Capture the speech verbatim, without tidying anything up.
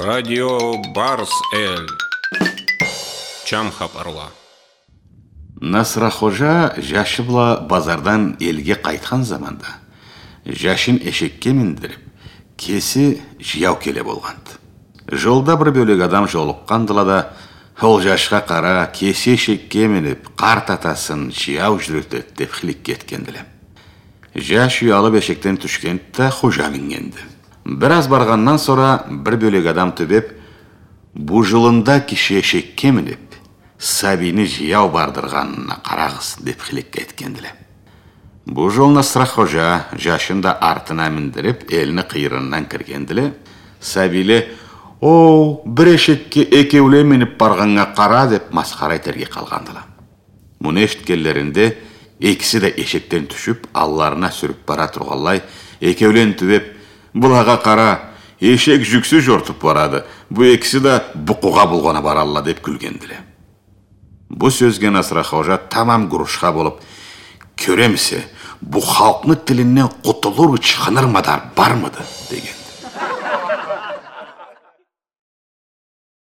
Радио Барс Эл. Чам хапарла. Насрахожа жашы бла базардан элге къайтхан заманда, жашын эшекге миндирип, кеси жаяу келе болгъанды. Жолда бир бёлек адам жолукъгъандыла да: «Ол жашха къара, кеси эшекге минип, къарт атасын жаяу жюрютеди», — деп хыликке этгендиле. Жаш уялып эшекден тюшгенди да, хожа мингенди. Бир аз баргъандан сора бир бёлек адам тюбеп: «Бу жылында киши эшекге минип, сабийни жаяу бардыргъанына къарагъыз», — деп хыликке этгендиле. Бу жол Насрахожа жашын да артына миндирип, элни къыйырындан киргендиле. Сабийле: «О, бир эшекге экеулен минип баргъаннга къара», — деп масхара этерге къалгъандыла. Муну эшитгенлеринде, экиси да эшекден тюшюп, алларына сюрюп бара тургъанлай, экеулен тюбеп: «Былагъа къара, эшек жюксюз жортуп барады, бу экиси да букъугъа булгъана баралла», — деп кюлгендиле. Бу сёзге Насрахожа тамам гурушха болуп: «Кёремисе, бу халкъны тилинден къутулур ычхыныр мадар бармыды?» — деген.